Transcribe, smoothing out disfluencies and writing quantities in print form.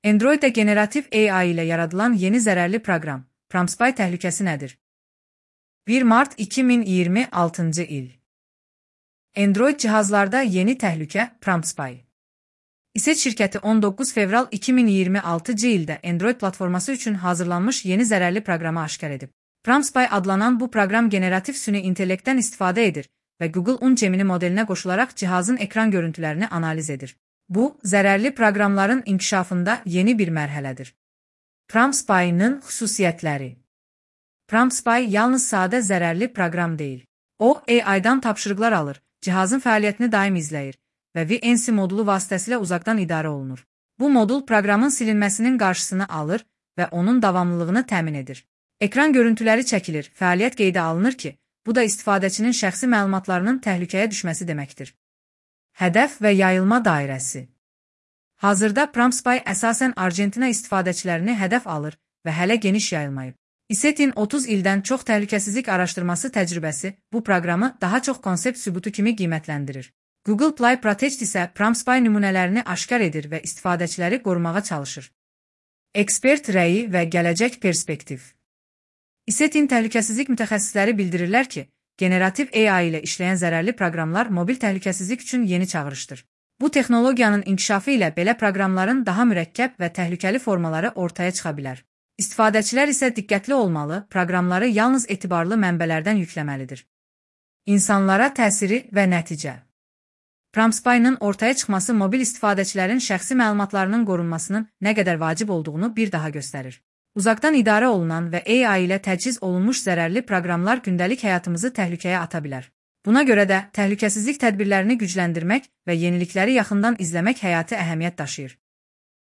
Androiddə generativ AI ilə yaradılan yeni zərərli proqram, PrumpSpy təhlükəsi nədir? 1 Mart 2026-cı il. Android cihazlarda yeni təhlükə PrumpSpy. İSET şirkəti 19 fevral 2026-cı ildə Android platforması üçün hazırlanmış yeni zərərli proqramı aşkar edib. PrumpSpy adlanan bu proqram generativ süni intellektdən istifadə edir və Google Gemini modelinə qoşularaq cihazın ekran görüntülərini analiz edir. Bu, zərərli proqramların inkişafında yeni bir mərhələdir. PrumpSpy-nın xüsusiyyətləri. PrumpSpy yalnız sadə zərərli proqram deyil. O, AI-dan tapşırıqlar alır, cihazın fəaliyyətini daim izləyir və VNC modulu vasitəsilə uzaqdan idarə olunur. Bu modul proqramın silinməsinin qarşısını alır və onun davamlılığını təmin edir. Ekran görüntüləri çəkilir, fəaliyyət qeydə alınır ki, bu da istifadəçinin şəxsi məlumatlarının təhlükəyə düşməsi deməkdir. Hədəf və yayılma dairəsi. Hazırda PrumpSpy əsasən Argentina istifadəçilərini hədəf alır və hələ geniş yayılmayıb. İSET-in 30 ildən çox təhlükəsizlik araşdırması təcrübəsi bu proqramı daha çox konsept sübutu kimi qiymətləndirir. Google Play Protect isə PrumpSpy nümunələrini aşkar edir və istifadəçiləri qorumağa çalışır. Ekspert rəyi və gələcək perspektiv. İSET-in təhlükəsizlik mütəxəssisləri bildirirlər ki, generativ AI ilə işləyən zərərli proqramlar mobil təhlükəsizlik üçün yeni çağırışdır. Bu texnologiyanın inkişafı ilə belə proqramların daha mürəkkəb və təhlükəli formaları ortaya çıxa bilər. İstifadəçilər isə diqqətli olmalı, proqramları yalnız etibarlı mənbələrdən yükləməlidir. İnsanlara təsiri və nəticə. PrumpSpy-nın ortaya çıxması mobil istifadəçilərin şəxsi məlumatlarının qorunmasının nə qədər vacib olduğunu bir daha göstərir. Uzaqdan idarə olunan və AI ilə təchiz olunmuş zərərli proqramlar gündəlik həyatımızı təhlükəyə ata bilər. Buna görə də təhlükəsizlik tədbirlərini gücləndirmək və yenilikləri yaxından izləmək həyati əhəmiyyət daşıyır.